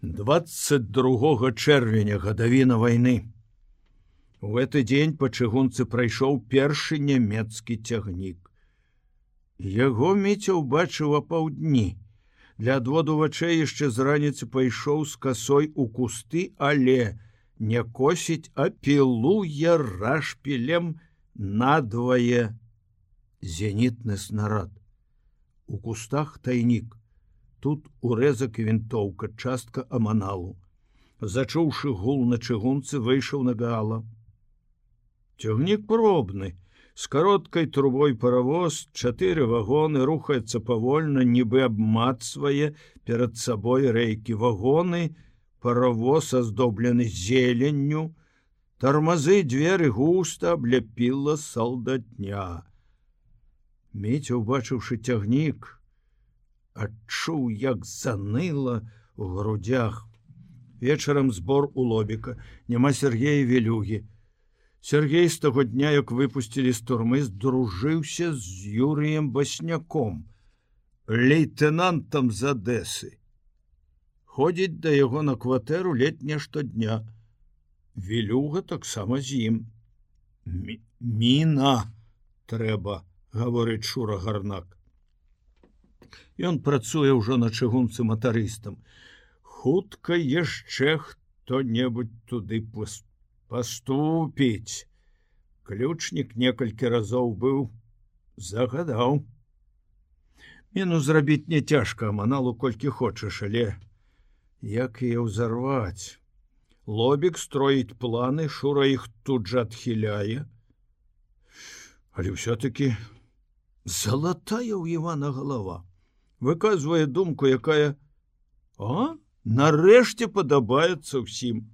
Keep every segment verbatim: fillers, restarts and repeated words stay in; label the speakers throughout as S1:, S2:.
S1: двадцать другога чэрвеня, гадавіна вайны. У гэты дзень па чыгунцы прайшоў першы нямецкі цягнік. Яго Міця ўбачыў апаўдні. Для адводу вачэй яшчэ з раніцы пайшоў з касой у кусты, але не косіць, а пілуе рашпілем надвае зенітны снарад. У кустах тайнік. Тут урэзак і вінтоўка, частка аманалу. Зачуўшы гул на чыгунцы, выйшаў на гала. Цягнік пробны. З кароткай трубой паравоз, чатыры вагоны, рухаецца павольна, нібы абмацвае перад сабой рэйкі. Вагоны, паравоз аздоблены зеленню, тармазы, дзверы густа абляпіла салдатня. Міця, убачыўшы цягнік, адчуў, як заныла ў грудях. Вечарам збор у Лобіка. Няма Сергея Велюгі. Сергей з таго дня, як выпусцілі з турмы, здружыўся з Юрыем Басняком, лейтенантам з Адэсы. Ходзіць да яго на кватэру летня штодня. Велюга таксама з ім. Міна трэба, гаворыць Шура Гарнак. Ён працуе ўжо на чыгунцы матарыстам. Хутка яшчэ хто-небудзь туды пуступіць. Паступіць. Ключнік некалькі разоў быў, загадаў. Міну зрабіць не цяжка, аманалу колькі хочаш, але як яе ўзарваць? Лобік строіць планы, Шура іх тут жа адхіляе. Але ўсё-такі залатая ў Івана галава. Выказвае думку, якая, а, нарэшце падабаецца ўсім.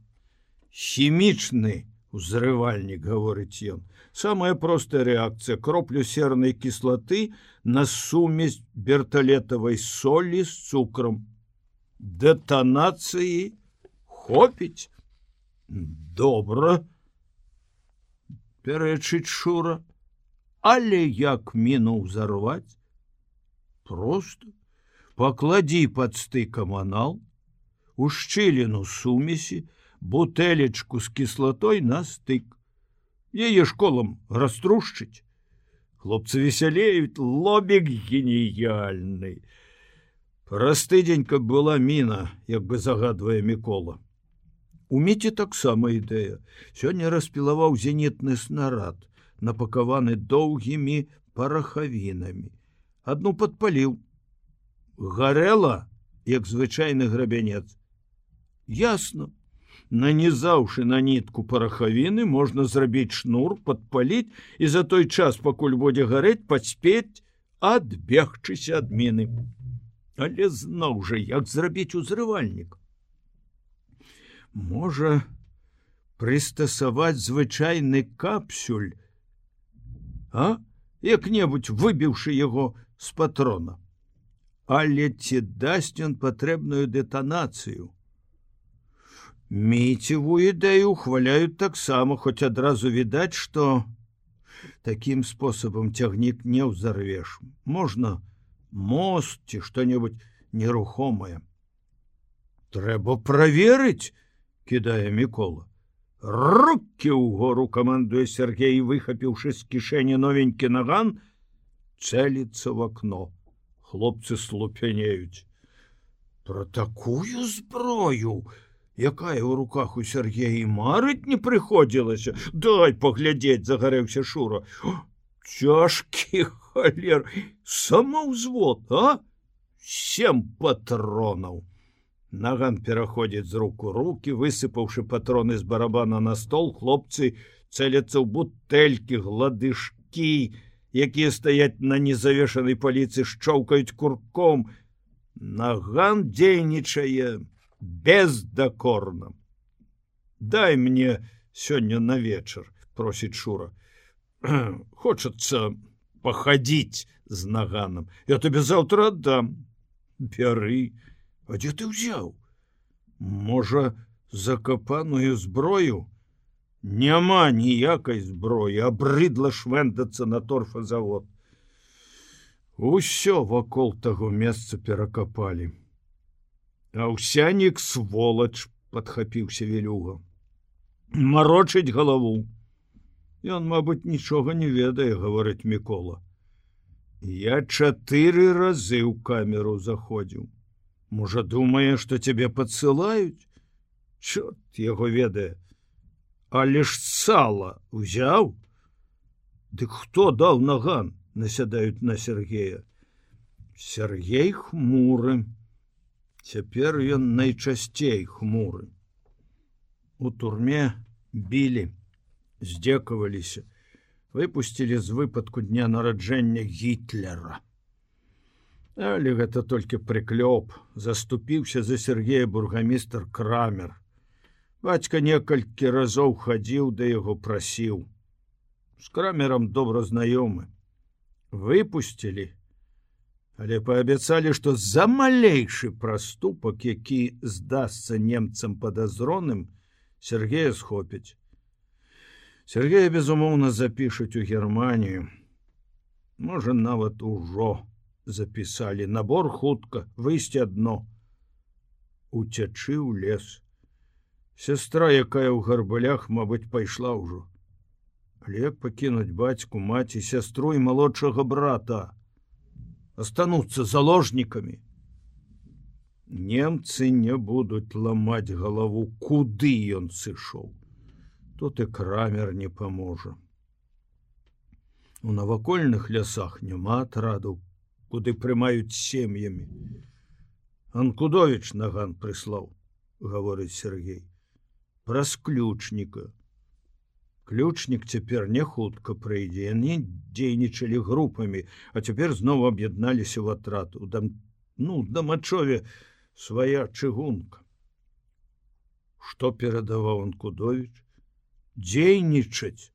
S1: Хімічны узрывальнік, гаворыць ён. Самая простая рэакцыя. Кроплю сернай кіслаты на сумесь берталетавай солі з цукрам. Дэтанацыі хопіць. Добра, пярэчыць Шура. Але як міну ўзарваць? Проста пакладзі пад стык аманал, у шчыліну сумесі, бутэлечку з кіслатой на стык. Яе школам раструшчыць. Хлопцы весялеюць, Лобік геніяльны. Праз тыдзень, каб была міна, як бы загадвае Мікола. У Міці таксама ідэя. Сёння распілаваў зенітны снарад, напакаваны доўгімі парахавінамі. Адну падпаліў. Гарэла, як звычайны грабянец. Ясна. Нанізаўшы на нітку парахавіны, можна зрабіць шнур, падпаліць і за той час, пакуль будзе гарэць, паспець адбегчыся ад міны. Але зноў жа, як зрабіць узрывальнік? Можа, прыстасаваць звычайны капсюль, а? Як-небудзь выбіўшы яго з патрона. Але ці дасць ён патрэбную дэтанацыю? Міцеву ідэю ухваляюць таксама, хоць адразу відаць, што такім спосабам цягнік не ўзарвеш. Можна мост ці што-небудзь нерухомае. Трэба праверыць, кідае Мікола. Рукі ўгору, камандуе Сергей, выхапіўшы з кішэні новенькі наган, цэліцца в акно. Хлопцы слупянеюць. Пра такую зброю, якая ў руках у Сергея, марыць не прыходзілася. Дай паглядзець, загарэўся Шура. Цяжкі халер, самаўзвод, а? Сем патронаў. Наган пераходзіць з рук у рукі, высыпаўшы патроны з барабана на стол, хлопцы цэляцца ў бутэлькі, гладышкі, якія стаяць на незавешанай паліцы, шчоўкаюць курком. Наган дзейнічае бездакорна. Дай мне сёння на вечар, просіць Шура. Хочацца пахадзіць з наганам. Я табе заўтра аддам. Бяры. А дзе ты ўзяў? Можа, закапаную зброю? Няма ніякай зброі, абрыдла швэндацца на торфазавод. Усё вакол таго месца перакапалі. Аўсянік сволач, падхапіўся Вілюга. Марочыць галаву. Ён, мабыць, нічога не ведае, гаворыць Мікола. Я чатыры разы ў камеру заходзіў. Можа, думае, што цябе падсылаюць? Чорт яго ведае. Але ж сала узяў? Дык хто даў наган? Насядаюць на Сергея. Сергей хмуры. Цяпер ён найчасцей хмуры. У турме білі, здзекаваліся, выпусцілі з выпадку дня нараджэння Гітлера. Але гэта толькі прыклёп, заступіўся за Сергея бургамістр Крамер. Бацька некалькі разоў хадзіў да яго прасіў. З Крамерам добра знаёмы. Выпусцілі, але паабяцалі, што за малейшы праступак, які здасца немцам падазроным, Сергея схопяць. Сергея, безумоўна, запішуць у Германію. Можа, нават ужо запісалі. Набор хутка, выйсці адно. Уцячы ў лес. Сястра, якая ў гарбалях, мабыць, пайшла ўжо. Але як пакінуць бацьку, маці, сястру і малодшага брата? Остануцца заложнікамі. Немцы не будуць ламаць галаву, куды ён сышоў. Тут і Крамер не паможа. У навакольных лясах няма атрадаў, куды прымаюць сем'ямі. Анкудовіч наган прыслаў, гаворыць Сергей. Праз ключніка. Ключнік цяпер не хутка прыйдзе. Яны дзейнічалі групамі, а цяпер зноў аб'ядналіся ў атрад. У дам... ну, Дамачове свая чыгунка. Што перадаваў Анкудовіч? Дзейнічаць.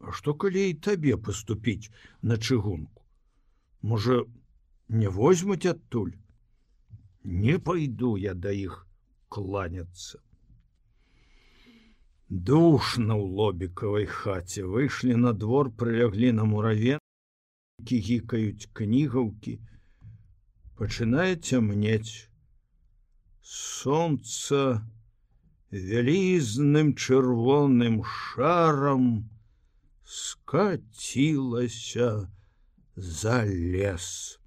S1: А што калі і табе паступіць на чыгунку? Можа, не возьмуць адтуль? Не пайду я да іх кланяцца. Душна ў лобікавай хаце. Выйшлі на двор, прыляглі на мураве, гікаюць кнігаўкі. Пачынае цямнець. Сонца вялізным чырвоным шарам скацілася за лес.